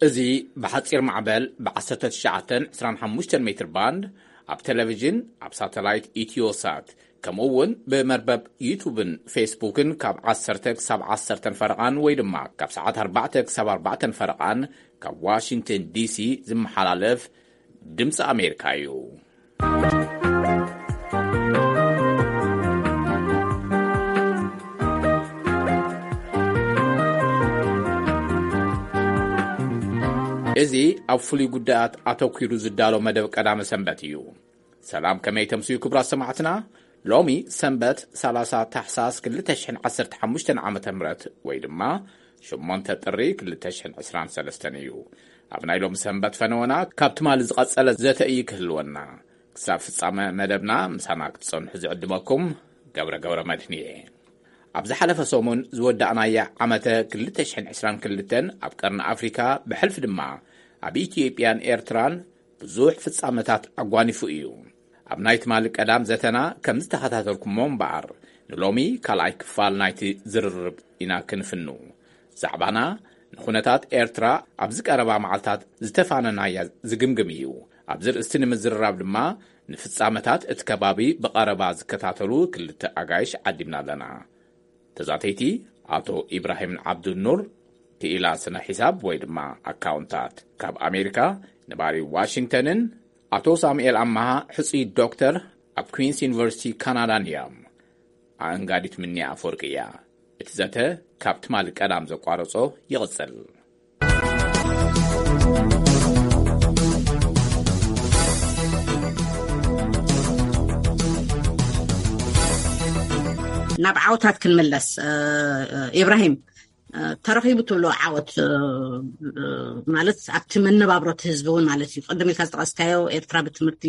እዚ ብሓጺር ማዕበል ብ19 25 ሜትር ባንድ ኣብ ቴሌቪዥን፣ ኣብ ሳተላይት ኢትዮሳት፣ ከምኡ እውን ብመርበብ ዩቱብን ፌስቡክን ካብ ዓሰርተ ክሳብ ዓሰርተ ፈረቓን ወይ ድማ ካብ ሰዓት ኣርባዕተ ክሳብ ኣርባዕተ ፈረቓን ካብ ዋሽንግተን ዲሲ ዝመሓላለፍ ድምፂ ኣሜሪካ እዩ። እዚ ኣብ ፍሉይ ጉዳያት ኣተኲሩ ዝዳሎ መደብ ቀዳመ ሰንበት እዩ። ሰላም፣ ከመይ ተምስዩ ክቡራት ሰማዕትና? ሎሚ ሰንበት ሠላሳ ታሕሳስ ክልተ ሽሕን ዓሰርተ ሓሙሽተን ዓመተ ምህረት ወይ ድማ ሸሞንተ ጥሪ ክልተ ሽሕን ዕስራን ሰለስተን እዩ። ኣብ ናይ ሎሚ ሰንበት ፈነወና ካብ ትማሊ ዝቐጸለ ዘተ እዩ ክህልወና። ክሳብ ፍጻመ መደብና ምሳና ክትጸንሑ ዝዕድመኩም ገብረ ገብረ መድህን እየ። ኣብ ዝሓለፈ ሰሙን ዝወዳእናያ ዓመተ ክልተ ሽሕን ዕስራን ክልተን ኣብ ቀርኒ ኣፍሪካ ብሕልፊ ድማ ኣብ ኢትዮጵያን ኤርትራን ብዙሕ ፍጻመታት ኣጓኒፉ እዩ። ኣብ ናይ ትማሊ ቀዳም ዘተና ከም ዝተኸታተልኩሞ እምበኣር ንሎሚ ካልኣይ ክፋል ናይቲ ዝርርብ ኢና ክንፍኑ። ዛዕባና ንኹነታት ኤርትራ ኣብዚ ቀረባ መዓልታት ዝተፋነናያ ዝግምግም እዩ። ኣብዚ ርእስቲ ንምዝርራብ ድማ ንፍጻመታት እቲ ከባቢ ብቐረባ ዝከታተሉ ክልተ ኣጋይሽ ዓዲምና ኣለና። ተዛተይቲ ኣቶ ኢብራሂም ዓብዱኑር፣ ክኢላ ስነ ሒሳብ ወይ ድማ ኣካውንታት ካብ ኣሜሪካ ነባሪ ዋሽንግተንን ኣቶ ሳሙኤል ኣማሃ ሕጹይ ዶክተር ኣብ ኩዊንስ ዩኒቨርሲቲ ካናዳን እዮም። ኣእንጋዲት ምንያ ኣፈወርቂ እያ። እቲ ዘተ ካብ ትማሊ ቀዳም ዘቋረጾ ይቕጽል። ናብ ዓወታት ክንምለስ፣ እ፣ እ፣ ኢብራሂም፣ እ፣ ተረኺቡ ትብሎ ዓወት፣ እ፣ እ፣ ማለት ኣብቲ መነባብሮ እቲ ህዝቢ እውን ማለት እዩ። ቅድም ኢልካ ዝጠቐስካዮ ኤርትራ ብትምህርቲ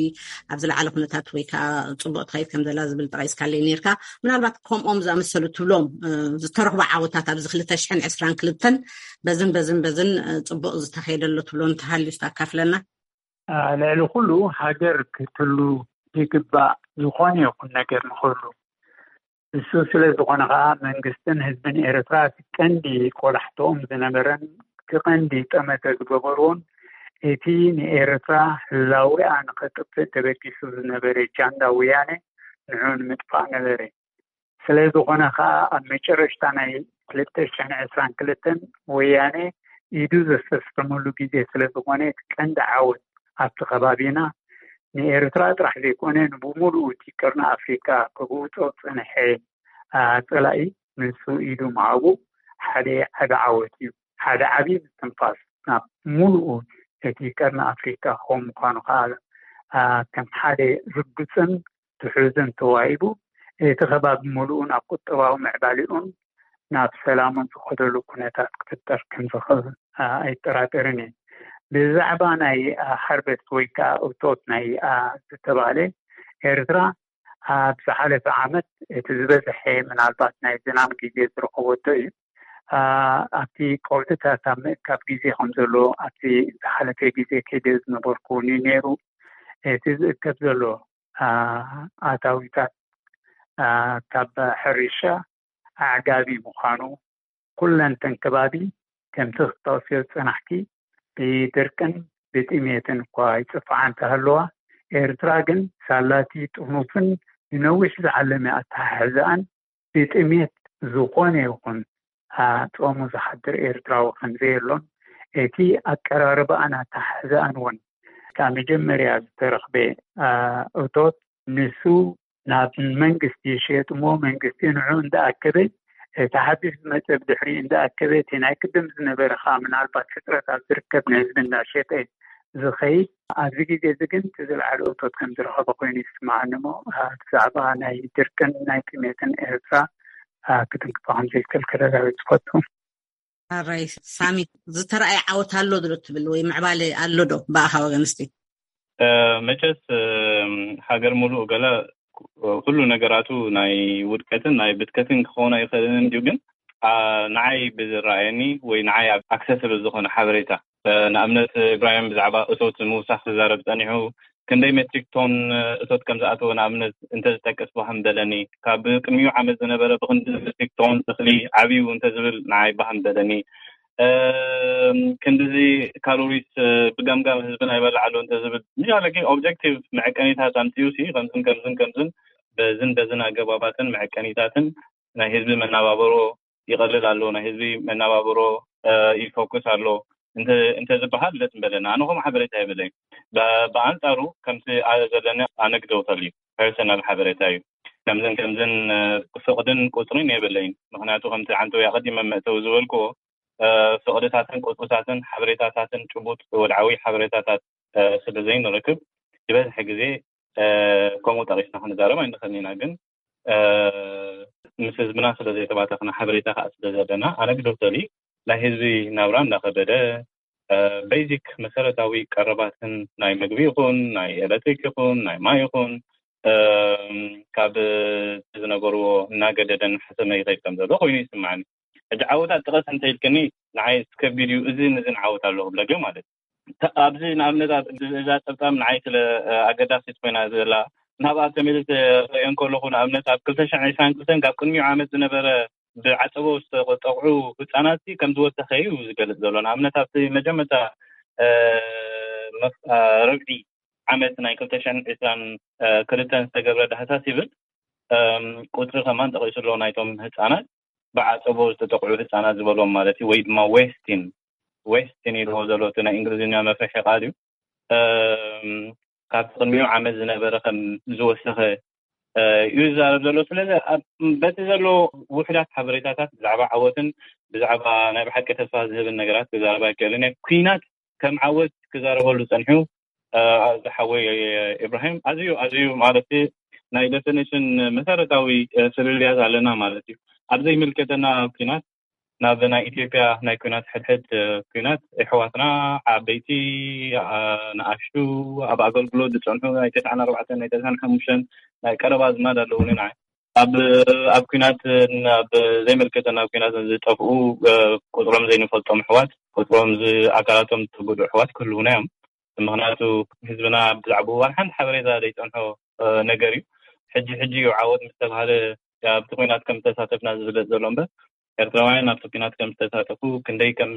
ኣብ ዝለዓለ ኩነታት ወይ ከዓ ጽቡቕ ትኸይድ ከም ዘላ ዝብል ጠቒስካለይ ነርካ። ምናልባት ከምኦም ዝኣመሰሉ ትብሎም፣ እ፣ ዝተረኽቡ ዓወታት ኣብዚ ክልተ ሽሕን ዕስራን ክልተን በዝን በዝን በዝን፣ እ፣ ጽቡቕ ዝተኸየደሎ ትብሎ እንተሃልዩ ዝተኣካፍለና? አ፣ ልዕሊ ኩሉ ሃገር ክትህሉ ይግባእ፣ ዝኾነ ይኹን ነገር ንኽህሉ። እሱ ስለ ዝኾነ ኸዓ መንግስትን ህዝብን ኤርትራ እቲ ቀንዲ ቆላሕትኦም ዝነበረን እቲ ቀንዲ ጠመተ ዝገበርዎን እቲ ንኤርትራ ህላዌኣ ንኸጥፍእ ተበጊሱ ዝነበረ ጃንዳ ወያነ ንዑ ንምጥፋእ ነበረ። ስለ ዝኾነ ኸዓ ኣብ መጨረሽታ ናይ ክልተ ሽሕን ዕስራን ክልተን ወያነ ኢዱ ዘሰስከመሉ ግዜ ስለ ዝኾነ እቲ ቀንዲ ዓወት ኣብቲ ከባቢና ንኤርትራ ጥራሕ ዘይኮነ ንብሙሉኡ እቲ ቀርኒ ኣፍሪቃ ክብውጾ ዝጸንሐ፣ አ፣ ጸላኢ ንሱ ኢዱ ምሃቡ ሓደ ዓቢ ዓወት እዩ። ሓደ ዓቢ ምስትንፋስ ናብ ሙሉኡ እቲ ቀርኒ ኣፍሪቃ ክኸውን ምዃኑ ከኣ፣ አ፣ ከም ሓደ ርግጽን ትሑዝን ተዋሂቡ፣ እቲ ከባቢ ሙሉኡ ናብ ቁጠባዊ ምዕባሌኡን ናብ ሰላሙን ዝኸደሉ ኩነታት ክፍጠር ከም ዝኽእል፣ አ፣ ኣይጠራጠርን እየ። ብዛዕባ ናይ፣ አ፣ ሃርቨስት ወይ ከኣ እቶት ናይ፣ አ፣ ዝተባህለ ኤርትራ ኣብ ዝሓለፈ ዓመት እቲ ዝበዝሐ ምናልባት ናይ ዝናም ግዜ ዝረኸበቶ እዩ። አ፣ ኣብቲ ቀውዒታት ኣብ ምእካብ ግዜ ከም ዘሎ ኣብቲ ዝሓለፈ ግዜ ከይደ ዝነበርኩ እውን እዩ ነይሩ። እቲ ዝእከብ ዘሎ፣ አ፣ ኣታዊታት፣ አ፣ ካብ ሕርሻ ኣዕጋቢ ምዃኑ ኩለንተን ከባቢ ከምቲ ክትጠቕስዮ ዝጸናሕኪ ብድርቅን ብጥሜትን እኳ ይጽፍዓ እንተሃለዋ፣ ኤርትራ ግን ሳላቲ ጥኑፍን ንነዊሕ ዝዓለመ ኣተሓሕዛኣን ብጥሜት ዝኾነ ይኹን፣ አ፣ ጾሙ ዝሓድር ኤርትራዊ ከም ዘየሎን እቲ ኣቀራርባኣን ኣተሓሕዛኣን እውን ካብ መጀመርያ ዝተረኽበ፣ አ፣ እቶት ንሱ ናብ መንግስቲ ይሸየጥ እሞ መንግስቲ ንዑ እንዳኣከበ እቲ ሓድሽ ዝመጸ ብድሕሪ እንዳኣከበ እቲ ናይ ቅድም ዝነበረ ከዓ ምናልባት ሕፅረት ኣብ ዝርከብ ንህዝቢ እንዳሸጠ ዝኸይድ ኣብዚ ግዜ እዚ ግን እቲ ዝለዓለ እቶት ከም ዝረኸበ ኮይኑ ይስማዓኒ እሞ ብዛዕባ ናይ ድርቅን ናይ ጥሜትን ኤርትራ ክትንክፎ ከም ዘይክእል ከረጋግፅ ዝፈቱ። ኣራይ ሳሚ ዝተረኣየ ዓወት ኣሎ ዶ ትብል ወይ ምዕባለ ኣሎ ዶ ብኣኻ ወገን እስቲ? መቸስ ሃገር ሙሉእ ገለ ኩሉ ነገራቱ ናይ ውድቀትን ናይ ብትከትን ክኸውን ኣይኽእልን እዩ። ግን ንዓይ ብዝረኣየኒ ወይ ንዓይ ኣክሰስብል ዝኾነ ሓበሬታ ንኣብነት ኢብራሂም ብዛዕባ እቶት ምውሳኽ ክዛረብ ጸኒሑ ክንደይ ሜትሪክ ቶን እቶት ከም ዝኣተወ ንኣብነት እንተዝጠቅስ ባህ ምበለኒ። ካብ ቅድሚኡ ዓመት ዝነበረ ብክንዲ ሜትሪክ ቶን እኽሊ ዓብዩ እንተዝብል ንዓይ ባህ ምበለኒ። ክንድዚ ካሎሪስ ብገምጋም ህዝብና ይበልዓሉ እንተዝብል፣ ምሻለ ግን ኦብጀክቲቭ መዐቀኒታት ኣምፅኡ ሲ ከምዝን ከምዝን ከምዝን በዝን በዝን ኣገባባትን መዐቀኒታትን ናይ ህዝቢ መናባበሮ ይቐልል ኣሎ፣ ናይ ህዝቢ መናባበሮ ይፎክስ ኣሎ እንተዝበሃል ደስ ምበለና። ኣነ ከም ሓበሬታ የብለይ። ብኣንፃሩ ከምቲ ዘለኒ ኣነግደውተል እዩ፣ ፐርሰናል ሓበሬታ እዩ። ከምዝን ከምዝን ፍቕድን ቁፅርን የብለይን። ምክንያቱ ከምቲ ዓንተው ኣቐዲመ መእተው ዝበልክዎ ፍቕድታትን ቁፅርታትን ሓበሬታታትን ጭቡጥ ወድዓዊ ሓበሬታታት ስለ ዘይንረክብ ዝበዝሐ ግዜ ከምኡ ጠቂስና ክንዛረብ ኣይንኽእልን ኢና። ግን ምስ ህዝብና ስለ ዘይተባተኽና ሓበሬታ ከዓ ስለ ዘለና ኣነግዶተሊ ናይ ህዝቢ ናብራ እንዳኸበደ ቤዚክ መሰረታዊ ቀረባትን ናይ ምግቢ ይኹን ናይ ኤሌክትሪክ ይኹን ናይ ማይ ይኹን ካብ ዝነበርዎ እናገደደ እናሓሰመ ይኸይድ ከም ዘሎ ኮይኑ ይስማዓኒ። ሕጂ ዓወታት ጥቐስ እንተኢልክኒ ንዓይ ከቢድ እዩ። እዚን እዚን ዓወት ኣለኹ ብለገ ማለት እዩ። ኣብዚ ንኣብነት እዛ ፀብፃብ ንዓይ ስለ ኣገዳሲት ኮይና ዘላ ናብኣ ተመልስ ርእዮ እንከለኹ ንኣብነት ኣብ ክልተ ሽሕን ዕስራን ክልተን ካብ ቅድሚኡ ዓመት ዝነበረ ብዓፀቦ ዝተጠቕዑ ህፃናት ከም ዝወሰኸ እዩ ዝገልፅ ዘሎ። ንኣብነት ኣብቲ መጀመርታ ርብዒ ዓመት ናይ ክልተ ሽሕን ዕስራን ክልተን ዝተገብረ ዳህሳስ ይብል ቁፅሪ ከማን ጠቂሱ ኣሎ ናይቶም ህፃናት ብዓፀቦ ዝተጠቕዑ ህፃናት ዝበሎም ማለት እዩ፣ ወይ ድማ ዌስቲን ዌስቲን ኢልዎ ዘሎ እቲ ናይ እንግሊዝኛ መፍርሒ ቃል እዩ። ካብ ቅድሚኡ ዓመት ዝነበረ ከም ዝወሰኸ እዩ ዝዛረብ ዘሎ። ስለዚ በቲ ዘሎ ውሕዳት ሓበሬታታት ብዛዕባ ዓወትን ብዛዕባ ናይ ብሓቂ ተስፋ ዝህብን ነገራት ክዛረብ ኣይክእልን እየ። ኩናት ከም ዓወት ክዛረበሉ ፀንሑ ዝሓወይ ኢብራሂም ኣዝዩ ኣዝዩ ማለት ናይ ዴፊኒሽን መሰረታዊ ፍልልያት ኣለና ማለት እዩ። ኣብ ዘይምልከተና ኩናት ናብ ናይ ኢትዮጵያ ናይ ኩናት ሕድሕድ ኩናት ኣሕዋትና ዓበይቲ ንኣሽቱ ኣብ ኣገልግሎት ዝፀንሑ ናይ ተስዓን ኣርባዕተን ናይ ተስዓን ሓሙሽተን ናይ ቀረባ ኣዝማድ ኣለውኒ ንዓይ ኣብ ኣብ ኩናት ኣብ ዘይምልከተና ኩናት ዝጠፍኡ ቁፅሮም ዘይንፈልጦም ኣሕዋት ቁፅሮም ኣካላቶም ዝተጎድኡ ኣሕዋት ክህልውና እዮም። ምክንያቱ ህዝብና ብዛዕባ እዋን ሓንቲ ሓበሬታ ዘይፀንሖ ነገር እዩ። ሕጂ ሕጂ እዩ ዓወት ምስ ተባሃለ ኣብቲ ኩናት ከም ዝተሳተፍና ዝፍለጥ ዘሎ እምበር ኤርትራውያን ኣብቲ ኩናት ከም ዝተሳተፉ ክንደይ ከም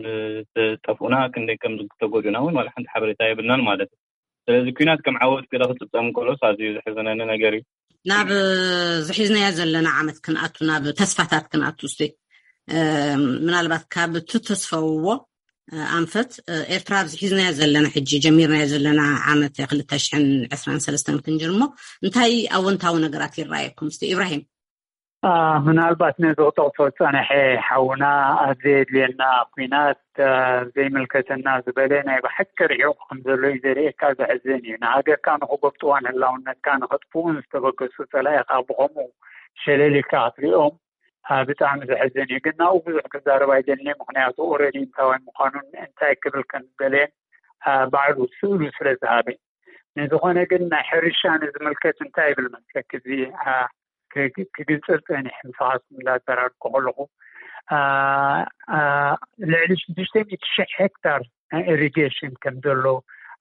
ዝጠፍኡና ክንደይ ከም ዝተጎድኡና እውን ዋላ ሓንቲ ሓበሬታ የብልናን ማለት እዩ። ስለዚ ኩናት ከም ዓወት ገለ ክፅብፀም ከሎስ ኣዝዩ ዘሕዝነኒ ነገር እዩ። ናብ ዝሒዝናዮ ዘለና ዓመት ክንኣቱ ናብ ተስፋታት ክንኣቱ እስቲ ምናልባት ካብ ትተስፈውዎ ኣንፈት ኤርትራ ኣብዚ ሒዝናዮ ዘለና ሕጂ ጀሚርናዮ ዘለና ዓመት ክልተ ሽሕን ዕስራን ሰለስተን ክንጅር እሞ እንታይ ኣወንታዊ ነገራት ይረኣየኩም እስቲ ኢብራሂም? ምናልባት ነዚ ክጠቕሶ ዝፀንሐ ሓውና ኣብ ዘየድልየና ኩናት ዘይምልከተና ዝበለ ናይ ብሓቂ ርሒቑ ከም ዘሎ እዩ ዘርእየካ። ዘሕዝን እዩ። ንሃገርካ ንክጎብጥዋን ህላውነትካ ንክጥፍኡን ዝተበገሱ ፀላኢኻ ብኸምኡ ሸለል ኢልካ ክትሪኦም ብጣዕሚ ዘሕዝን እዩ። ግን ናብኡ ብዙሕ ክዛረብ ኣይደልን። ምክንያቱ ኦረዲ እንታዋይ ምዃኑን እንታይ ክብል ከም ዝደለየን ባዕሉ ስእሉ ስለ ዝሃበ። ንዝኾነ ግን ናይ ሕርሻ ንዝምልከት እንታይ ይብል መስለክ እዚ ክግልፀል ፀኒሕ ምሳኻትኩም እንዳዘራርኩ ከለኹ ልዕሊ ሽዱሽተ ሚእቲ ሽሕ ሄክታር ናይ ኢሪጌሽን ከም ዘሎ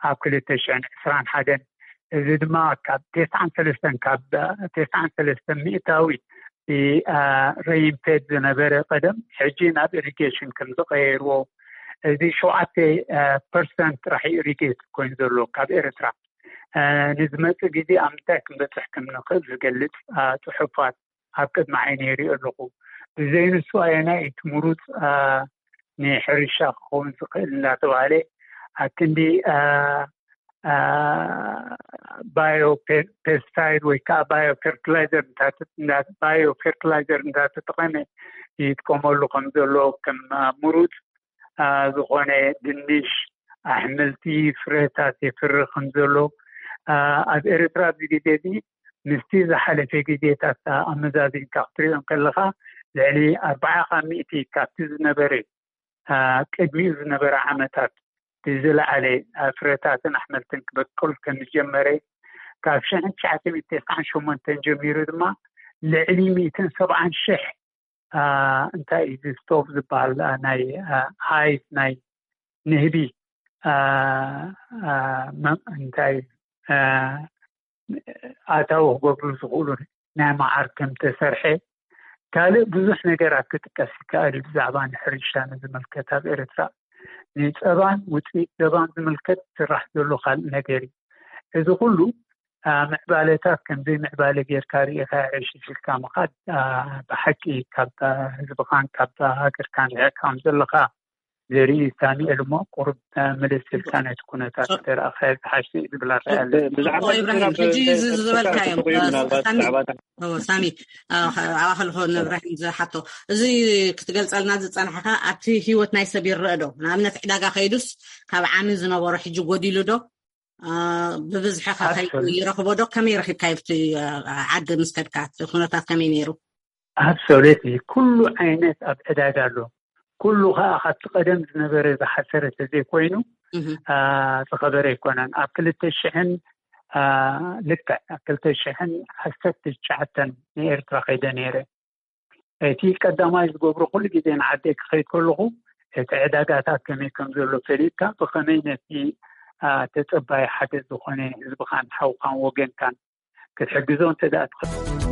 ኣብ ክልተ ሽሕን ዕስራን ሓደን እዚ ድማ ካብ ተስዓን ሰለስተን ካብ ተስዓን ሰለስተን ሚእታዊ ሬይንፌድ ዝነበረ ቀደም ሕጂ ናብ ኢሪጌሽን ከም ዝቀየርዎ እዚ ሸውዓተ ፐርሰንት ጥራሕ ኢሪጌት ኮይኑ ዘሎ ካብ ኤርትራ ንዝመፅእ ግዜ ኣብ ምንታይ ክንበፅሕ ከም ንኽእል ዝገልፅ ፅሑፋት ኣብ ቅድሚ ዓይነ ይሪኦ ኣለኹ። ብዘይንሱ ኣየናይ እቲ ምሩፅ ንሕርሻ ክኸውን ዝኽእል እንዳተባሃለ ኣብ ክንዲ ባዮ ፔስቲሳይድ ወይ ከዓ ባዮ ፈርቲላይዘር ባዮ ፈርቲላይዘር እንዳተጠቐመ ይጥቀመሉ ከም ዘሎ ከም ምሩፅ ዝኾነ ድንሽ ኣሕምልቲ ፍረታት የፍሪ ከም ዘሎ ኣብ ኤርትራ ኣብዚ ግዜ እዚ ምስቲ ዝሓለፈ ግዜታት ኣመዛዚንካ ክትሪኦ ከለካ ልዕሊ ኣርባዓ ካብ ሚእቲ ካብቲ ዝነበረ ቅድሚኡ ዝነበረ ዓመታት ብዝለዓለ ፍረታትን ኣሕምልትን ክበቅል ከም ዝጀመረ ካብ ሽሕን ትሽዓተ ሚእቲ ተስዓን ሸሞንተን ጀሚሩ ድማ ልዕሊ ሚእትን ሰብዓን ሽሕ እንታይ እዩ እዚ ስቶቭ ዝበሃል ናይ ሃይቭ ናይ ንህቢ እንታይ ኣታዊ ክገብሩ ዝኽእሉ ናይ መዓር ከም ተሰርሐ ካልእ ብዙሕ ነገራት ክጥቀስ ይከኣል እዩ። ብዛዕባ ንሕርሻ ንዝምልከት ኣብ ኤርትራ ንጸባን ውጽኢት ጸባን ዝምልከት ዝስራሕ ዘሎ ካልእ ነገር እዩ። እዚ ኩሉ ምዕባለታት ከም ዘይምዕባለ ጌርካ ርኢኻ ዕሽሽ ኢልካ ምኻድ ብሓቂ ካብ ህዝብኻን ካብ ሃገርካን ርሒቕካ ከም ዘለኻ ዘርኢ እዩ። ሳሚኤል እሞ ቁሩብ ምልስ ኢልካ ነቲ ኩነታት እንተረኣኻዮ ዝሓሸ እዩ ዝብል ኣረኣእያ ኣለኒ። ብዛዕባ ኢብራሂም ሕጂ ዝበልካዮም ሳሚ ኣብኣ ከለኹ ንእብራሂም ዝሓቶ እዚ ክትገልጸልና ዝጸናሕካ ኣብቲ ህይወት ናይ ሰብ ይረአ ዶ? ንኣብነት ዕዳጋ ከይዱስ ካብ ዓሚ ዝነበሮ ሕጂ ጎዲሉ ዶ? ብብዝሒ ከ ይረኽቦ ዶ? ከመይ ረኺብካዮ ኣብቲ ዓዲ ምስ ከድካ እቲ ኩነታት ከመይ ነይሩ? ኣብሶሌት ኩሉ ዓይነት ኣብ ዕዳጋ ኣሎ። ኩሉ ከዓ ካብቲ ቀደም ዝነበረ ዝሓሰረ ተዘይኮይኑ ዝኸበረ ኣይኮነን። ኣብ ክልተ ሽሕን ልክዕ ኣብ ክልተ ሽሕን ዓሰርተ ትሽዓተን ንኤርትራ ከይደ ነይረ። እቲ ቀዳማይ ዝገብሮ ኩሉ ግዜ ንዓደይ ክኸይድ ከለኹ እቲ ዕዳጋታት ከመይ ከም ዘሎ ፈሊጥካ ብኸመይ ነቲ ተጸባይ ሓገዝ ዝኾነ ህዝብኻን ሓውኻን ወገንካን ክትሕግዞ እንተ ደኣ ትኽእል።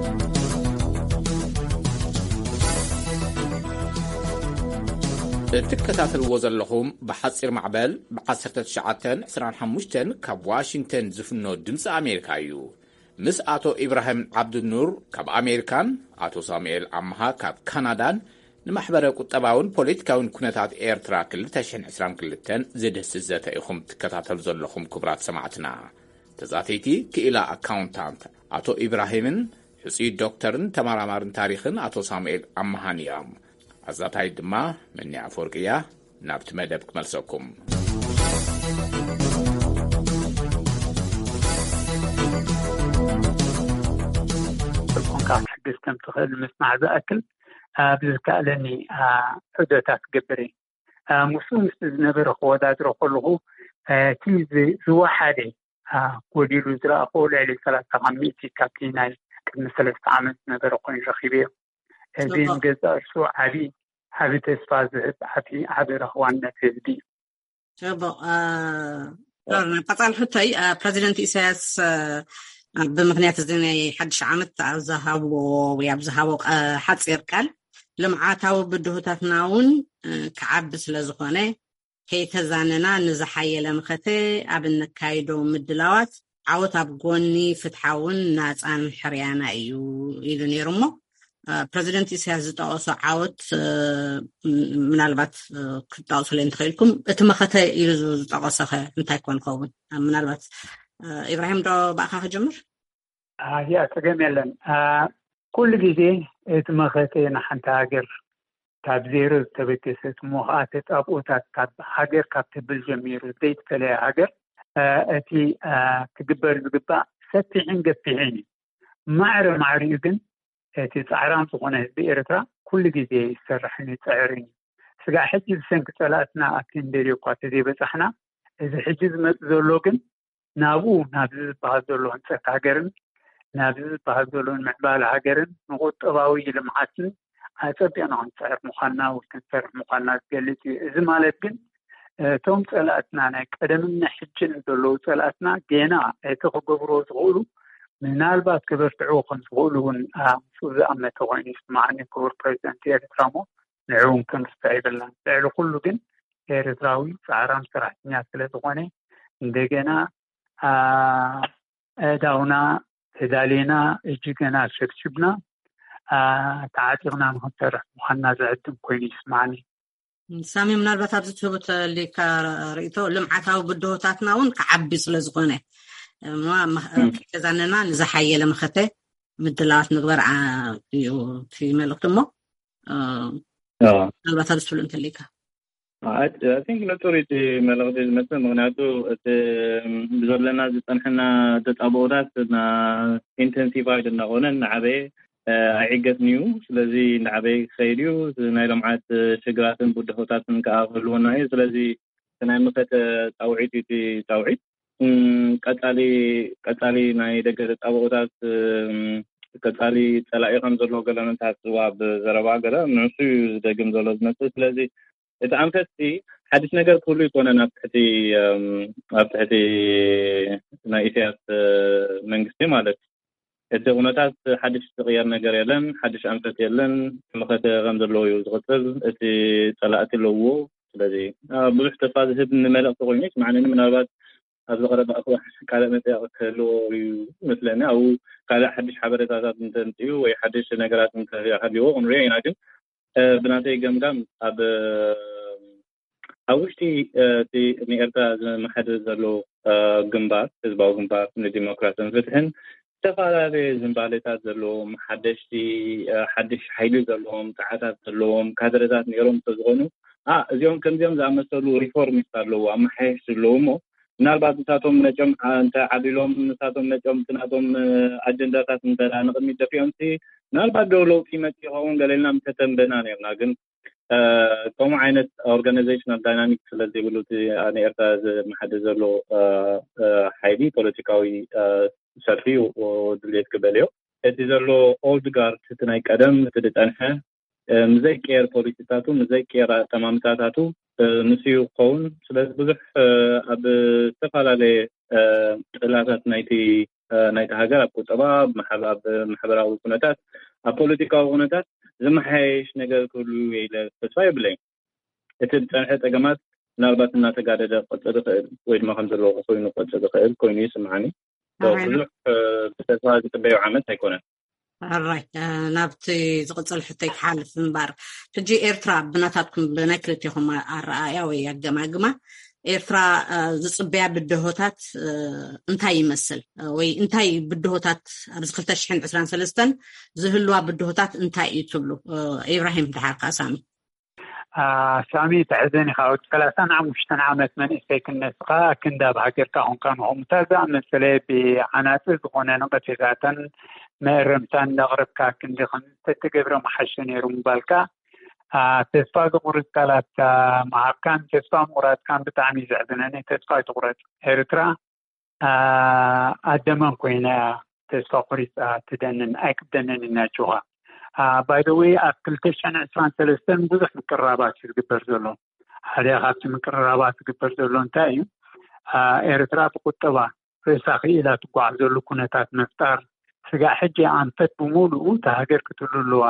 እትከታተልዎ ዘለኹም ብሓፂር ማዕበል ብ1925 ካብ ዋሽንግተን ዝፍኖ ድምፂ ኣሜሪካ እዩ። ምስ ኣቶ ኢብራሂም ዓብዱኑር ካብ ኣሜሪካን ኣቶ ሳሙኤል ኣምሃ ካብ ካናዳን ንማሕበረ ቁጠባውን ፖለቲካውን ኩነታት ኤርትራ 2022 ዝድህስስ ዘተ ኢኹም ትከታተሉ ዘለኹም ክቡራት ሰማዕትና። ተዛተይቲ ክኢላ ኣካውንታንት ኣቶ ኢብራሂምን ሕፁይ ዶክተርን ተመራማርን ታሪኽን ኣቶ ሳሙኤል ኣምሃን እዮም። ኣዛታይት ድማ መኒ ኣፈወርቂ እያ። ናብቲ መደብ ክመልሰኩም። ኮንካ ክትሕግዝ ከም ትኽእል ምስማዕ ዝኣክል ብዝከኣለኒ ሕደታት ክገብር እየ። ምስኡ ምስ ዝነበረ ክወዳድሮ ከለኹ እቲ ዝወሓደ ጎዲሉ ዝረኣኽዎ ልዕሊ ሰላሳ ካብ ሚእቲ ካብቲ ናይ ቅድሚ ሰለስተ ዓመት ዝነበረ ኮይኑ ረኺበዮ። እዚ ንገዛእ ርእሱ ዓቢ ዓቢ ተስፋ ዝህብ ዓቢ ዓቢ ረኽባነት ህዝቢ እዩ። ጽቡቕ። ዶር፣ ናብ ቀጻሊ ሕቶይ፣ ፕረዚደንት ኢሳያስ ብምኽንያት እዚ ናይ ሓድሽ ዓመት ኣብ ዝሃብዎ ወይ ኣብ ዝሃቦ ሓጺር ቃል፣ ልምዓታዊ ብድሆታትና እውን ክዓቢ ስለ ዝኾነ ከይተዛነና ንዝሓየለ መኸተ ኣብ እንካይዶ ምድላዋት ዓወት ኣብ ጎኒ ፍትሓውን ናፃን ሕርያና እዩ ኢሉ ነይሩ። እሞ ፕረዚደንት ኢሳያስ ዝጠቐሶ ዓወት ምናልባት ክትጠቕሱለይ እንተኽኢልኩም፣ እቲ መኸተ ኢሉ ዝጠቐሶኸ እንታይ ኮን ኸውን? ምናልባት ኢብራሂም ዶ ብኣኻ ክጀምር? ያ፣ ጸገም የለን። ኩሉ ግዜ እቲ መኸተ ንሓንቲ ሃገር ካብ ዜሮ ዝተበገሰት እሞ ከዓ ተጻብኦታት ካብ ሃገር ካብ ትብል ጀሚሩ ዘይተፈለየ ሃገር እቲ ክግበር ዝግባእ ሰፊሕን ገፊሕን እዩ። ማዕረ ማዕሪኡ ግን እቲ ጻዕራም ዝኾነ ህዝቢ ኤርትራ ኩሉ ግዜ ይሰርሕን ይጽዕርን እዩ። ስጋዕ ሕጂ ብሰንኪ ጸላእትና ኣብቲ እንደልዮ እኳ ተዘይበጻሕና፣ እዚ ሕጂ ዝመጽእ ዘሎ ግን ናብኡ ናብዚ ዝበሃል ዘሎ ህንጸት ሃገርን ናብዚ ዝበሃል ዘሎ ንምዕባለ ሃገርን ንቁጠባዊ ልምዓትን ኣጸቢቕና ክንጽዕር ምዃንና ወይ ክንሰርሕ ምዃንና ዝገልጽ እዩ። እዚ ማለት ግን እቶም ጸላእትና ናይ ቀደምን ናይ ሕጅን ዘለዉ ጸላእትና ገና እቲ ክገብርዎ ዝኽእሉ ምናልባት ክበርትዕዎ ከም ዝኽእሉ እውን ምስኡ ዝኣመተ ኮይኑ ይስማዓኒ ክቡር ፕረዚደንት ኤርትራ እሞ ንዕኡ እውን ክንርስዕ የብልናን። ልዕሊ ኩሉ ግን ኤርትራዊ ጻዕራም ሰራሕተኛ ስለ ዝኾነ እንደገና ኣእዳውና ተዳሊና እጅ ገና ሸብሽብና ተዓጢቕና ንክንሰርሕ ምዃንና ዝዕድም ኮይኑ ይስማዓኒ። ሳሚ፣ ምናልባት ኣብዚ ትህቡ ተሊካ ርእቶ ልምዓታዊ ብድሆታትና እውን ክዓቢ ስለ ዝኾነ ከይተዛነና ንዝሓየለ መኸተ ምድላዋት ምግበር እዩ እቲ መልእክቲ። እሞ ምናልባት ኣብዚ ትብሉ እንተሊካ ጥሩ እቲ መልእክቲ ዝመስል። ምክንያቱ እቲ ብዘለና ዝፀንሐና ተፃብኦታት ኢንተንሲፋይድ እናኾነ እናዓበየ ኣይዕገትን እዩ። ስለዚ እናዓበየ ክኸይድ እዩ። ናይ ልምዓት ሽግራትን ብድሆታትን ከዓ ክህልወና እዩ። ስለዚ ናይ መኸተ ፃውዒት እዩ እቲ ፃውዒት። ቀፃሊ ቀፃሊ ናይ ደገ ተፃብኦታት ቀፃሊ ፀላኢ ከም ዘለዎ ገለ ንትሓስቡ ኣብ ዘረባ ገለ ንሱ እዩ ዝደግም ዘሎ ዝመስል። ስለዚ እቲ ኣንፈትቲ ሓድሽ ነገር ክህሉ ይኮነን ኣብ ትሕቲ ኣብ ትሕቲ ናይ ኢሳያስ መንግስቲ ማለት እቲ ኩነታት ሓድሽ ዝቕየር ነገር የለን፣ ሓድሽ ኣንፈት የለን። መኸተ ከም ዘለዎ እዩ ዝቕፅል። እቲ ፀላእቲ ኣለዎ። ስለዚ ብዙሕ ተስፋ ዝህብ መልእኽቲ ኮይኑ ይስማዓኒ። ምናልባት ኣብዚ ቀረባ እዋን ካልእ መፅያ ክህልዎ እዩ መስለኒ። ኣብኡ ካልእ ሓድሽ ሓበሬታታት እንተምፅኡ ወይ ሓድሽ ነገራት እንተሃልይዎ ክንሪኦ ኢና። ግን ብናተይ ገምጋም ኣብ ኣብ ውሽጢ እቲ ንኤርትራ ዝመሓድር ዘሎ ግንባር፣ ህዝባዊ ግንባር ንዲሞክራሲን ፍትሕን፣ ዝተፈላለየ ዝንባሌታት ዘለዎም ሓደሽቲ ሓድሽ ሓይሊ ዘለዎም ፃዓታት ዘለዎም ካድረታት ነይሮም እንተዝኾኑ፣ እዚኦም ከምዚኦም ዝኣመሰሉ ሪፎርሚስት ኣለዉ፣ ኣመሓየሽ ዘለዉ እሞ ምናልባት ንሳቶም መጨም እንተ ዓቢሎም ንሳቶም መጨም እቲ ናቶም ኣጀንዳታት እንተ ንቕድሚት ደፊኦም ሲ ምናልባት ዶ ለውጢ ይመፅእ ይኸውን ገለ ኢልና ምተተንበና ነርና። ግን ከምኡ ዓይነት ኦርጋናይዜሽናል ዳይናሚክስ ስለ ዘይብሉ እቲ ንኤርትራ ዝመሓድር ዘሎ ሓይሊ ፖለቲካዊ ሰልፊ ድሌት ክበልዮ እቲ ዘሎ ኦልድ ጋርድ እቲ ናይ ቀደም እቲ ዝፀንሐ ምስ ዘይቀየር ፖሊሲታቱ ምስ ዘይቀየር ኣጠማምታታቱ ንሱ እዩ ክኸውን። ስለዚ ብዙሕ ኣብ ዝተፈላለየ ጥላታት ናይቲ ናይቲ ሃገር ኣብ ቁጠባ፣ ኣብ ማሕበራዊ ኩነታት፣ ኣብ ፖለቲካዊ ኩነታት ዝመሓየሽ ነገር ክህሉ ኢለ ተስፋ የብለይን። እቲ ዝፀንሐ ፀገማት ምናልባት እናተጋደደ ክቕፅል ይኽእል ወይ ድማ ከም ዘለዎ ኮይኑ ክቕፅል ይኽእል ኮይኑ ይስምዓኒ። ብዙሕ ብተስፋ ዝፅበዮ ዓመት ኣይኮነን። ራይ ናብቲ ዝቕፅል ሕቶይ ክሓልፍ እምበር፣ ሕጂ ኤርትራ ብናታትኩም ብናይ ክልቴኹም ኣረኣእያ ወይ ኣገማግማ ኤርትራ ዝፅበያ ብድሆታት እንታይ ይመስል ወይ እንታይ ብድሆታት ኣብዚ ክልተ ሽሕን ዕስራን ሰለስተን ዝህልዋ ብድሆታት እንታይ እዩ ትብሉ? ኢብራሂም ድሓር ከዓ ሳሚ። ሳሚ ተሕዘን ኢኻ። ወዲ ሰላሳን ሓሙሽተን ዓመት መንእሰይ ክነስኻ ክንዲ ኣብ ሃገርካ ኮንካ ንኸምታ ዝኣመሰለ ብዓናፂ ዝኾነ ነቐፌታትን መእረምታን እንዳቕረብካ ክንዲ ከም ዝተተገብረ ምሓሸ ነይሩ ምባልካ ተስፋ ዘቑርፅ ቃላት ምሃብካን ተስፋ ምቑራፅካን ብጣዕሚ እዩ ዘሕዝነኒ። ተስፋ ኣይትቑረፅ። ኤርትራ ኣደመን ኮይና እያ ተስፋ ቆሪፃ ትደንን ኣይክደንን እናችኻ። ባይደወይ ኣብ ክልተ ሽሕን ዕስራን ሰለስተን ብዙሕ ምቅርራባት እዩ ዝግበር ዘሎ። ሓደ ካብቲ ምቅርራባት ዝግበር ዘሎ እንታይ እዩ? ኤርትራ ብቁጠባ ርእሳ ክኢላ ትጓዓዘሉ ኩነታት ምፍጣር፣ ስጋዕ ሕጂ ኣንፈት ብምሉኡ እታ ሃገር ክትህሉ ኣለዋ።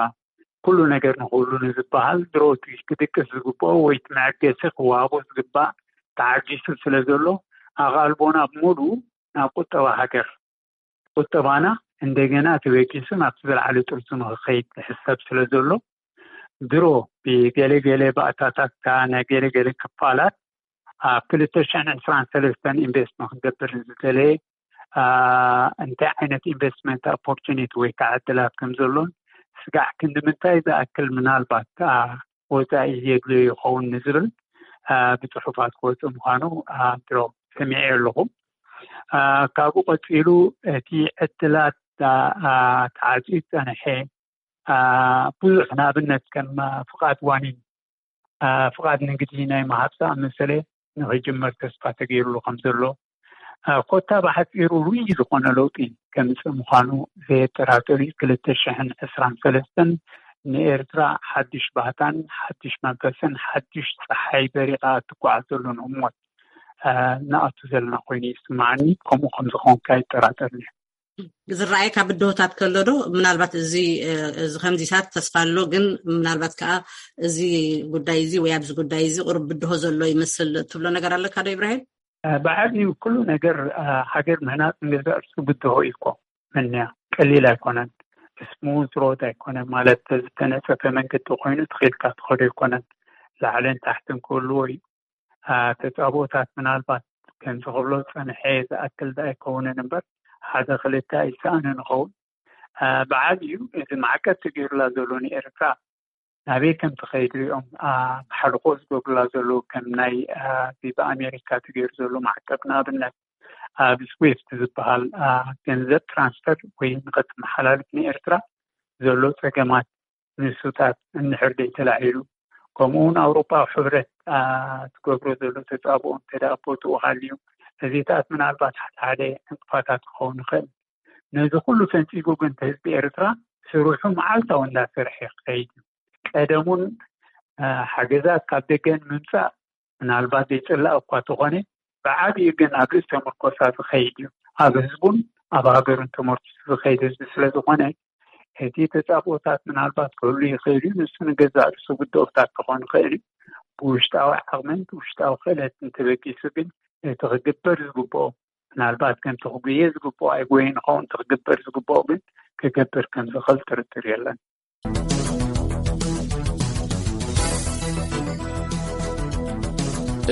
ኩሉ ነገር ንክህሉ ንዝበሃል ድሮ እቲ ክድቅስ ዝግብኦ ወይ እቲ መዐገሲ ክወሃቦ ዝግባእ ተዓጊሱ ስለ ዘሎ ኣቓልቦና ብምሉኡ ናብ ቁጠባ ሃገር ቁጠባና እንደገና ተበጊሱ ናብቲ ዝለዓለ ጥርዙ ንክኸይድ ዝሕሰብ ስለ ዘሎ ድሮ ብገለገለ ባእታታት ናይ ገለገለ ክፋላት ኣብ ክልተ ሽሕን ዕስራን ሰለስተን ኢንቨስት ንክንገብር ዝደለየ እንታይ ዓይነት ኢንቨስትመንት ኦፖርቹኒቲ ወይ ከዓ ዕድላት ከም ዘሎን ስጋዕ ክንዲ ምንታይ ዝኣክል ምናልባት ወፃኢ የድልዮ ይኸውን ንዝብል ብፅሑፋት ክወፅእ ምዃኑ ድሮ ሰሚዐ ኣለኹ። ካብኡ ቀፂሉ እቲ ዕድላት ተዓፅዩ ዝፀንሐ ብዙሕ ንኣብነት ከም ፍቓድ ዋኒን ፍቓድ ንግዲ ናይ ምሃብ ዝኣመሰለ ንክጅመር ተስፋ ተገይሩሉ ከም ዘሎ ኮታ ብሓፂሩ ርኡይ ዝኾነ ለውጢ ከምፅእ ምዃኑ ዘየጠራጥር እዩ። ክልተ ሽሕን ዕስራን ሰለስተን ንኤርትራ ሓድሽ ባህታን ሓድሽ መንፈስን ሓድሽ ፀሓይ በሪቓ እትጓዓዘሉን ህሞት እናኣቱ ዘለና ኮይኑ ይስምዓኒ። ከምኡ ከም ዝኾንካ ይጠራጠርኒ። ዝረኣየካ ብድሆታት ከሎ ዶ ምናልባት እዚ እዚ ከምዚታት ተስፋ ኣሎ ግን ምናልባት ከዓ እዚ ጉዳይ እዚ ወይ ኣብዚ ጉዳይ እዚ ቁሩብ ብድሆ ዘሎ ይመስል ትብሎ ነገር ኣለካ ዶ ኢብራሂም? ብዓቢኡ ኩሉ ነገር ሃገር ምህናፅ ንገዛእ ርእሱ ብድሆ እዩ እኮ። መንያ ቀሊል ኣይኮነን። ስሙዝ ሮድ ኣይኮነን ማለት ዝተነፀፈ መንገዲ ኮይኑ ትኺልካ ትኸዶ ኣይኮነን። ላዕልን ታሕትን ክህልዎ እዩ። ተፃብኦታት ምናልባት ከምዚ ክብሎ ዝፀንሐ ዝኣክል ዶ ኣይከውንን እምበር ሓደ ክልተ ኣይሰኣንን ይኸውን። ብዓብዩ እዚ ማዕቀብ ተገይሩላ ዘሎ ንኤርትራ ናበይ ከም ትኸይድ ሪኦም ማሕልኾ ዝገብሩላ ዘለዉ ከም ናይ እዚ ብኣሜሪካ ተገይሩ ዘሎ ማዕቀብ ንኣብነት ኣብ ስዊፍት ዝበሃል ገንዘብ ትራንስፈር ወይ ንኸተመሓላልፍ ንኤርትራ ዘሎ ፀገማት ንሱታት እንድሕር ዘይተላዒሉ ከምኡውን ኣውሮፓዊ ሕብረት ትገብሮ ዘሎ ተፃብኦ እንተ ቦትኡ ሃልዩ እዚታት ምናልባት ሓደ ሓደ ዕንቅፋታት ክኸውን ይኽእል። ነዚ ኩሉ ፈንፂጉ ግን ህዝቢ ኤርትራ ስርሑ መዓልታዊ እንዳሰርሐ ክኸይድ እዩ። ቀደሙን ሓገዛት ካብ ደገ ንምምፃእ ምናልባት ዘይፅላእ እኳ ተኾነ ብዓብዩ ግን ኣብ ርእሰ ምርኮሳ ዝኸይድ እዩ። ኣብ ህዝቡን ኣብ ሃገሩን ተመርኩሱ ዝኸይድ ህዝቢ ስለ ዝኾነ፣ እቲ ተጻብኦታት ምናልባት ክህሉ ይኽእል እዩ። ንሱ ንገዛእ ርእሱ ግደኦታት ክኾን ይኽእል እዩ። ብውሽጣዊ ዓቕምን ብውሽጣዊ ክእለትን ተበጊሱ ግን እቲ ክግበር ዝግብኦ፣ ምናልባት ከምቲ ክጉየ ዝግብኦ ኣይጎየን ይኸውን፣ እቲ ክግበር ዝግብኦ ግን ክገብር ከም ዝኽእል ጥርጥር የለን።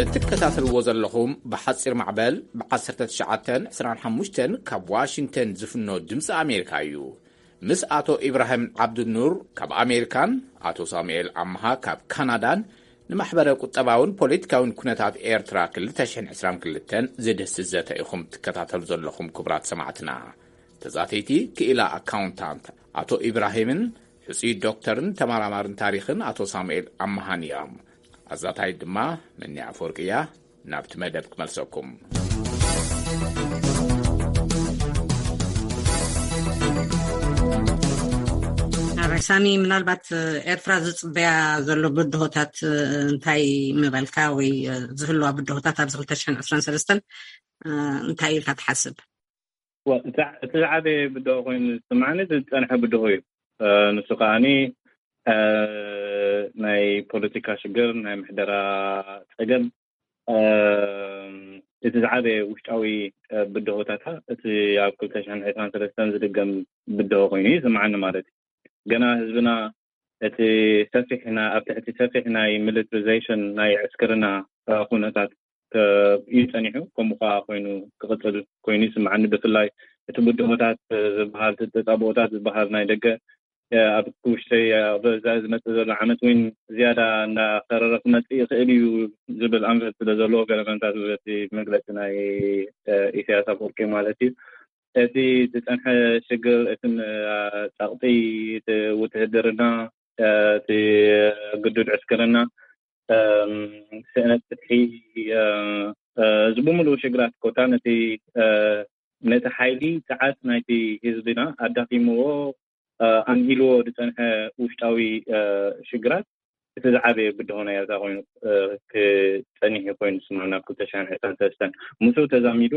እትከታተልዎ ዘለኹም ብሓፂር ማዕበል ብ19 25 ካብ ዋሽንግተን ዝፍኖ ድምፂ ኣሜሪካ እዩ። ምስ ኣቶ ኢብራሂም ዓብዱኑር ካብ ኣሜሪካን ኣቶ ሳሙኤል ኣምሃ ካብ ካናዳን ንማሕበረ ቁጠባውን ፖለቲካውን ኩነታት ኤርትራ 2022 ዝድህስስ ዘተ ኢኹም ትከታተሉ ዘለኹም። ክቡራት ሰማዕትና፣ ተዛተይቲ ክኢላ ኣካውንታንት ኣቶ ኢብራሂምን ሕፁይ ዶክተርን ተመራማርን ታሪኽን ኣቶ ሳሙኤል ኣምሃን እዮም። ኣዛታይ ድማ መኒ ኣፈወርቂ እያ። ናብቲ መደብ ክመልሰኩም። ኣባይ ሳሚ፣ ምናልባት ኤርትራ ዝፅበያ ዘሎ ብድሆታት እንታይ ምበልካ፣ ወይ ዝህልዋ ብድሆታት ኣብዚ 2023 እንታይ ኢልካ ትሓስብ? እቲ ዝዓበየ ብድሆ ኮይኑ ዝስማዕኒ ዝፀንሐ ብድሆ እዩ። ንሱ ከዓኒ ናይ ፖለቲካ ሽግር፣ ናይ ምሕደራ ፀገም፣ እቲ ዝዓበየ ውሽጣዊ ብድሆታታ እቲ ኣብ 2023 ዝድገም ብድሆ ኮይኑ ይስምዓኒ ማለት እዩ። ገና ህዝብና እቲ ሰፊሕ ና-፣ ኣብ ትሕቲ ሰፊሕ ናይ ሚሊትሪዜሽን ናይ ዕስክርና ኩነታት እዩ ጸኒሑ። ከምኡ ከኣ ኮይኑ ክቕጽል ኮይኑ ይስምዓኒ። ብፍላይ እቲ ብድሆታት ዝበሃል፣ እቲ ተጻብኦታት ዝበሃል ናይ ደገ ኣብ ውሽጠይ ኣብ ዝመጽእ ዘሎ ዓመት እውን ዝያዳ እንዳኸረረ ክመጽእ ይኽእል እዩ ዝብል ኣንፈት ስለ ዘለዎ፣ ገለ መንታት በቲ መግለጺ ናይ ኢሳያስ ኣፈወርቂ ማለት እዩ። እቲ ዝጸንሐ ሽግር፣ እቲ ጸቕጢ፣ እቲ ውትህድርና፣ እቲ ግዱድ ዕስክርና፣ ስእነት ፍትሒ፣ እዚ ብምሉኡ ሽግራት ኮታ ነቲ ነቲ ሓይሊ ጸዓት ናይቲ ህዝብና ኣዳኺምዎ፣ ኣንሂልዎ ዝጸንሐ ውሽጣዊ ሽግራት እቲ ዝዓበየ ብድሆ ናይ ኤርትራ ኮይኑ ክጸኒሕ እዩ ኮይኑ ዝስምዓኒ ኣብ ክልተ ሽሕን ዕስራን ሰለስተን። ምስኡ ተዛሚዱ፣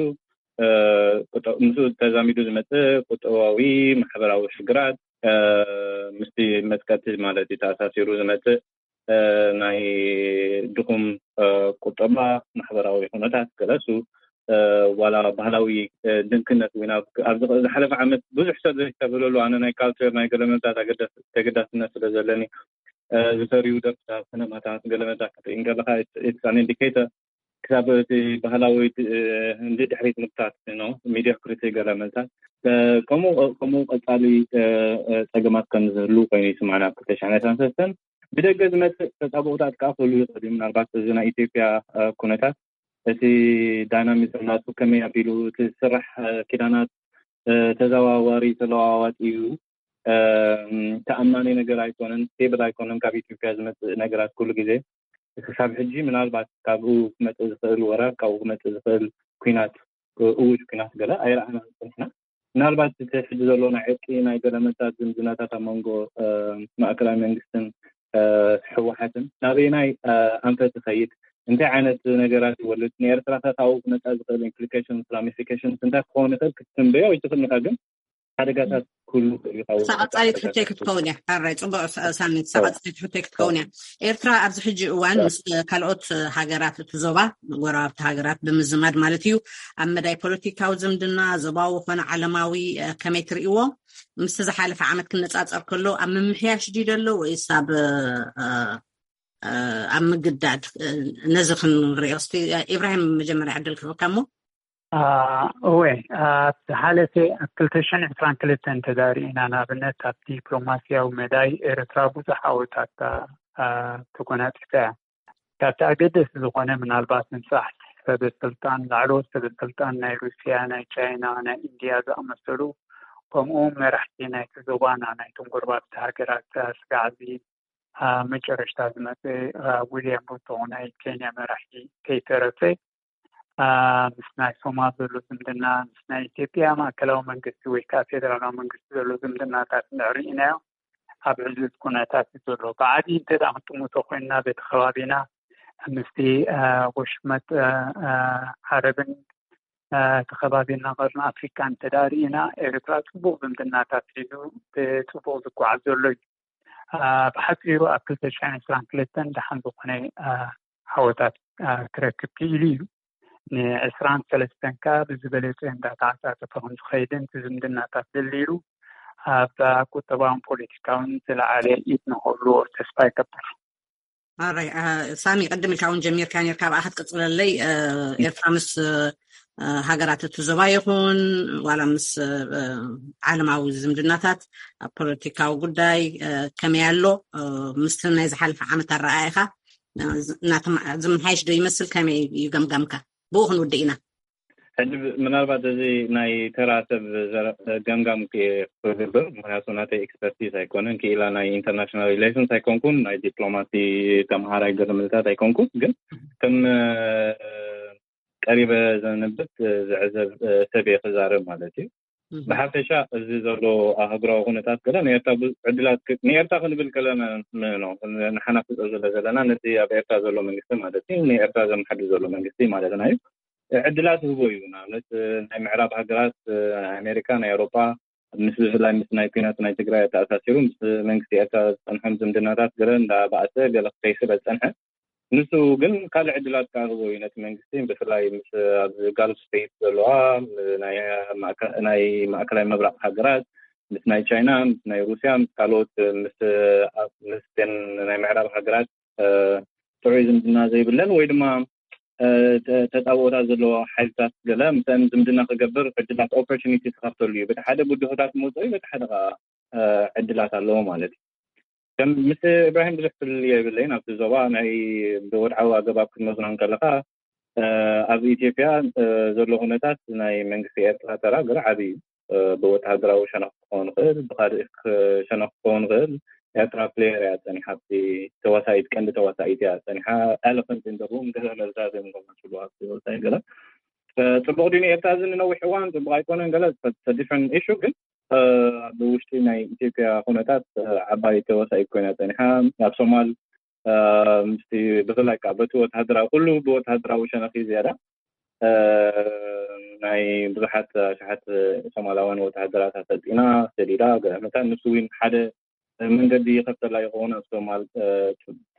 ምስኡ ተዛሚዱ ዝመጽእ ቁጠባዊ፣ ማሕበራዊ ሽግራት፣ ምስቲ መጥቀቲ ማለት እዩ ተኣሳሲሩ ዝመጽእ ናይ ድኹም ቁጠባ፣ ማሕበራዊ ኩነታት ገለሱ፣ ዋላ ባህላዊ ድንክነት እውን ኣብ ዝሓለፈ ዓመት ብዙሕ ሰብ ዘይተብለሉ፣ ኣነ ናይ ካልቸር ናይ ገለመንታት ተገዳስነት ስለ ዘለኒ ዝፈርዩ ደርፍታት፣ ሲነማታት፣ ገለመንታት ክትርኢ እንከለኻ it's an indicator ክሳብ እቲ ባህላዊ ንድሕሪት ምብታት ነው ሚዲዮክሪቲ ገለመንታት ከምኡ ከምኡ ቀጻሊ ጸገማት ከም ዝህሉ ኮይኑ ይስማዕና ኣብ ክልተ ሽሕን ዕስራን ሰለስተን። ብደገ ዝመጽእ ተጻብኦታት ከኣ ክህሉ ይኽእል እዩ። ምናልባት እዚ ናይ ኢትዮጵያ ኩነታት እቲ ዳይናሚዝም ናቱ ከመይ ኣቢሉ እቲ ዝስራሕ ኪዳናት ተዘዋዋሪ ተለዋዋጢ እዩ። ተኣማኒ ነገር ኣይኮነን፣ ስቴብል ኣይኮነን። ካብ ኢትዮጵያ ዝመጽእ ነገራት ኩሉ ግዜ ክሳብ ሕጂ ምናልባት ካብኡ ክመጽእ ዝኽእል ወራር፣ ካብኡ ክመጽእ ዝኽእል ኲናት፣ እውጅ ኲናት ገለ ኣይረኣናን ጸኒሕና። ምናልባት እቲ ሕጂ ዘሎ ናይ ዕርቂ ናይ ገለመታት ዝምድናታት ኣብ መንጎ ማእከላይ መንግስትን ህወሓትን ናበየናይ ኣንፈት ይኸይድ፣ እንታይ ዓይነት ነገራት ይወልድ፣ ንኤርትራ ከ ካብኡ ክመጻ ዝኽእል ኢምፕሊኬሽንስ ራሚፊኬሽንስ እንታይ ክኸውን ይኽእል ክትትንበዮ ኣይትኽእልን ኢኻ፣ ግን ሓደጋታት ኩሉ ይኸውን። እሳ ቀጻሊት ሕቶይ ክትከውን እያ። ሕራይ ጽቡቕ ሳሚት፣ እሳ ቀጻሊት ሕቶይ ክትከውን እያ። ኤርትራ ኣብዚ ሕጂ እዋን ምስ ካልኦት ሃገራት እቲ ዞባ፣ ጎረባብቲ ሃገራት ብምዝማድ ማለት እዩ፣ ኣብ መዳይ ፖለቲካዊ ዝምድና፣ ዞባዊ ኮነ ዓለማዊ ከመይ ትርእይዎ? ምስቲ ዝሓለፈ ዓመት ክነጻጸር ከሎ ኣብ ምምሕያሽ ድዩ ዘሎ ወይስ ኣብ ኣብ ምግዳድ? ነዚ ክንሪኦ እስቲ። ኢብራሂም፣ መጀመርያ ዕድል ክህበካ እሞ። እወ፣ ኣብ ዝሓለፈ ኣብ ክልተ ሽሕን ዕስራን ክልተን እንተዳርኢና፣ ንኣብነት ኣብ ዲፕሎማስያዊ መዳይ ኤርትራ ብዙሕ ዓወታት ተጎናጺፋ እያ። ካብቲ ኣገደሲ ዝኾነ ምናልባት ምብጻሕ ሰበ ስልጣን፣ ላዕለዎት ሰበ ስልጣን ናይ ሩስያ፣ ናይ ቻይና፣ ናይ ኢንድያ ዝኣመሰሉ፣ ከምኡ እውን መራሕቲ ናይቲ ዞባና፣ ናይቶም ጎረባብቲ ሃገራት ስጋዕ እዚ ኣብ መጨረሽታ ዝመጸ ዊልያም ሩቶ ናይ ኬንያ መራሒ ከይተረፈ ምስ ናይ ሶማል ዘሎ ዝምድና፣ ምስ ናይ ኢትዮጵያ ማእከላዊ መንግስቲ ወይ ከዓ ፌደራላዊ መንግስቲ ዘሎ ዝምድናታት እንድሕር ርኢናዮ ኣብ ዕዙዝ ኩነታት እዩ ዘሎ። ብዓብዪ እንተ ደኣ ክንጥምቶ ኮይንና በቲ ከባቢና ምስቲ ወሽመጥ ዓረብን እቲ ከባቢና ቀርኒ ኣፍሪካ እንተዳርኢና ኤርትራ ፅቡቅ ዝምድናታት ሒዙ ብፅቡቅ ዝጓዓዝ ዘሎ እዩ። ብሓፂሩ ኣብ ክልተ ሽሕን ዕስራን ክልተን ደሓን ዝኾነ ዓወታት ክረክብ ክኢሉ እዩ። ንዕስራን ሰለስተን ከ ብዝበለፀ እንዳተዓፃፀፈ ከም ዝኸይድን እቲ ዝምድናታት ደልድሉ ኣብ ቁጠባውን ፖለቲካውን ዝለዓለ ኢድ ንክህልዎ ተስፋ ይገብር። ኣራይ ሳሚ፣ ቅድም ኢልካ እውን ጀሚርካ ነርካ፣ ብኣ ክትቅፅለለይ። ኤርትራ ምስ ሃገራት እቲ ዞባ ይኹን ዋላ ምስ ዓለማዊ ዝምድናታት ኣብ ፖለቲካዊ ጉዳይ ከመይ ኣሎ? ምስቲ ናይ ዝሓለፈ ዓመት ኣረኣእያኻ እናተማ- ዝመሓየሽ ዶ ይመስል? ከመይ እዩ ገምጋምካ? ብኡ ክንውድእ ኢና። ሕጂ ምናልባት እዚ ናይ ተራ ሰብ ገምጋም ክገብር፣ ምክንያቱ ናተይ ኤክስፐርቲዝ ኣይኮነን። ክኢላ ናይ ኢንተርናሽናል ሪሌሽንስ ኣይኮንኩን፣ ናይ ዲፕሎማሲ ተምሃራይ ገለ ምልታት ኣይኮንኩን። ግን ከም ቀሪበ ዘንብብ ዝዕዘብ ሰብ እየ ክዛረብ ማለት እዩ። ብሓፈሻ እዚ ዘሎ ኣህጉራዊ ኩነታት ገለ ንኤርትራ ዕድላት ንኤርትራ ክንብል ከለና ንሓና ፍፀ ዘለ ዘለና ነቲ ኣብ ኤርትራ ዘሎ መንግስቲ ማለት እዩ፣ ንኤርትራ ዘመሓድር ዘሎ መንግስቲ ማለትና እዩ። ዕድላት ህቦ እዩ። ንኣብነት ናይ ምዕራብ ሃገራት ኣሜሪካ፣ ናይ ኣውሮጳ ምስ ብፍላይ ምስ ናይ ኩናት ናይ ትግራይ ኣተኣሳሲሩ ምስ መንግስቲ ኤርትራ ዝፀንሖም ዝምድናታት ገለ እንዳባእሰ ገለ ክከይስበ ዝፀንሐ ንሱ ግን ካልእ ዕድላት ከኣ ህቦ እዩ ነቲ መንግስቲ፣ ብፍላይ ምስ ኣብዚ ጋልፍ ስቴት ዘለዋ ናይ ማእከላይ ምብራቕ ሃገራት ምስ ናይ ቻይና፣ ምስ ናይ ሩስያ፣ ምስ ካልኦት ምስ ምስን ናይ ምዕራብ ሃገራት ጥዑይ ዝምድና ዘይብለን ወይ ድማ ተፃብኦታት ዘለዎ ሓይልታት ገለ ምስን ዝምድና ክገብር ዕድላት ኦፖርቹኒቲ ክኸፍተሉ እዩ። በቲ ሓደ ብድሆታት መውፅኢ በቲ ሓደ ከዓ ዕድላት ኣለዎ ማለት እዩ። ከም ምስ ኢብራሂም ብዙሕ ፍልልይ የብለይን። ኣብቲ ዞባ ናይ ብወድዓዊ ኣገባብ ክትመዝኖ እንከለካ ኣብ ኢትዮጵያ ዘሎ ኩነታት ናይ መንግስቲ ኤርትራ ተራ ገለ ዓብዪ እዩ። ብወተሃደራዊ ሸነኽ ክኸውን ይኽእል፣ ብካልእ ሸነኽ ክኸውን ይኽእል። ኤርትራ ፕሌየር እያ ፀኒሓ፣ ኣብቲ ተዋሳኢት ቀንዲ ተዋሳኢት እያ ፀኒሓ። ኤለፈንት ኢን ሩም ገለ መልታት እዮም ገማችሉ ኣብቲ ወፃኢ ገለ ፅቡቅ ድዩ ንኤርትራ እዚ ንነዊሕ እዋን ፅቡቅ ኣይኮነን ገለ ዲፍረንት ኢሹ። ግን ብውሽጢ ናይ ኢትዮጵያ ኩነታት ዓባይ ተዋሳኢት ኮይና ፀኒሓ። ኣብ ሶማል ምስቲ ብፍላይ ከዓ በቲ ወተሃደራዊ ኩሉ ብወተሃደራዊ ሸነኽ እዩ ዝያዳ ናይ ብዙሓት ኣሽሓት ሶማላውያን ወተሃደራት ኣሰልጢና ሰዲዳ ገለ መታን ንሱ እውን ሓደ መንገዲ ይኸፍተላ ይኸውን ኣብ ሶማል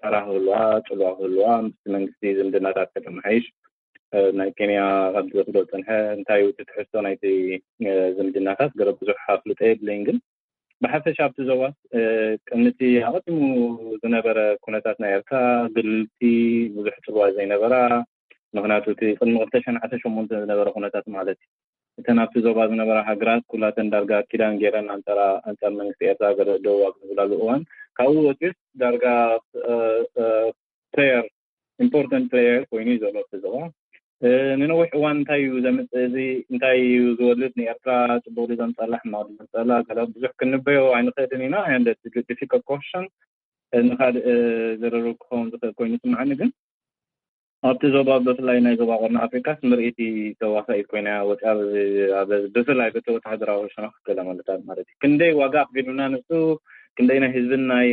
ተራ ክህልዋ ፅልዋ ክህልዋ ምስ መንግስቲ ዝምድናታት ከተመሓይሽ ናይ ኬንያ ካብ ዝወስዶ ዝፀንሐ እንታይ እዩ እቲ ትሕዝቶ ናይቲ ዝምድናታት ገለ ብዙሕ ኣፍልጦ የብለይን። ግን ብሓፈሻ ኣብቲ ዞባ ቅድሚ እቲ ኣቐዲሙ ዝነበረ ኩነታት ናይ ኤርትራ ግልልቲ ብዙሕ ፅልዋ ዘይነበራ ምክንያቱ እቲ ቅድሚ ክልተ ሽሕን ዓሰርተ ሸሞንተን ዝነበረ ኩነታት ማለት እዩ። እተን ኣብቲ ዞባ ዝነበራ ሃገራት ኩላተን ዳርጋ ኪዳን ገይረን ኣንፃር ኣንፃር መንግስቲ ኤርትራ ገለ ደው ኣብ ዝብላሉ እዋን ካብኡ ወፂኡስ ዳርጋ ፕሌየር ኢምፖርታንት ፕሌየር ኮይኑ እዩ ዘሎ እቲ ዞባ። ንነዊሕ እዋን እንታይ እዩ ዘምፅእ እዚ እንታይ እዩ ዝወልድ ንኤርትራ ፅቡቅ ድዩ ዘምፀላ ሕማቅ ድዩ ዘምፀላ ገለ ብዙሕ ክንበዮ ኣይንኽእልን ኢና። And difficult question ንካልእ ዝርርብ ክኸውን ዝኽእል ኮይኑ ይስምዓኒ። ግን ኣብቲ ዞባ ብፍላይ ናይ ዞባ ቀርኒ ኣፍሪካስ ምርኢቲ ተዋሳኢት ኮይና ወፅያ ብፍላይ በቲ ወተሃደራዊ ሸነኽ ገለ ማለት ማለት እዩ። ክንደይ ዋጋ ኣኽፊሉና ንሱ ክንደይ ናይ ህዝብን ናይ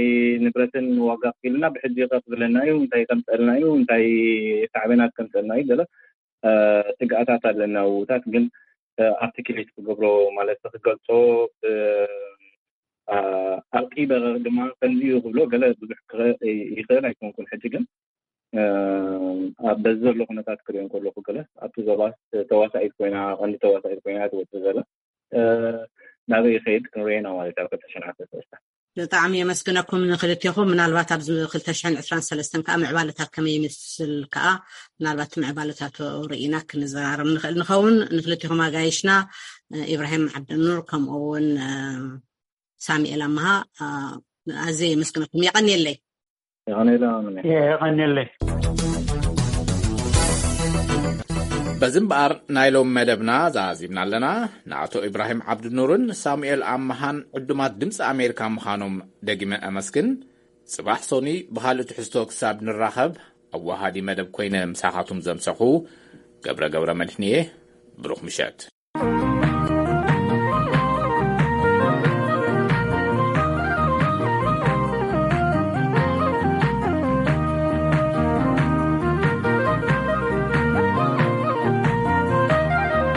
ንብረትን ዋጋ ኣኽፊሉና ብሕጂ ከኽፍለና እዩ እንታይ ከምፀልና እዩ እንታይ ሳዕቤናት ከምፀልና እዩ ገለ ስግኣታት ኣለና ውታት ግን ኣርቲክሌት ክገብሮ ማለት ክገልፆ ኣርቂበ ድማ ከምዚ እዩ ክብሎ ገለ ብዙሕ ይኽእል ኣይኮንኩን ሕጂ ግን በዚ ዘሎ ኩነታት ክሪኦ ከለኩ ገለ ኣብቲ ዞባ ተዋሳኢት ኮይና ቀንዲ ተዋሳኢት ኮይና ትወፅእ ዘላ ናበይ ይኸይድ ክንሪኦ ኢና ማለት ኣብ ክልተ ሽሕን ዓሰርተ ሰለስተ። ብጣዕሚ የመስግነኩም ንክልቴኹም። ምናልባት ኣብዚ ክልተ ሽሕን ዕስራን ሰለስተን ከዓ ምዕባለታት ከመይ ይመስል ከዓ ምናልባት ምዕባለታት ርኢና ክንዘራረብ ንኽእል ንኸውን። ንክልቴኹም ኣጋይሽና ኢብራሂም ዓብደኑር ከምኡ እውን ሳሚኤል ኣመሃ ኣዝየ የመስግነኩም። የቐንየለይ። የቐንየለይ። በዚ እምበኣር ናይ ሎም መደብና ዛዚምና ኣለና። ንኣቶ ኢብራሂም ዓብድኑርን ሳሙኤል ኣመሃን ዕዱማት ድምፂ ኣሜሪካ ምዃኖም ደጊመ ኣመስግን። ፅባሕ ሶኒ ብኻልእ ትሕዝቶ ክሳብ ንራኸብ ኣዋሃዲ መደብ ኮይነ ምሳኻቱም ዘምሰኹ ገብረ ገብረ መድሕንየ። ብሩኽ ምሸት።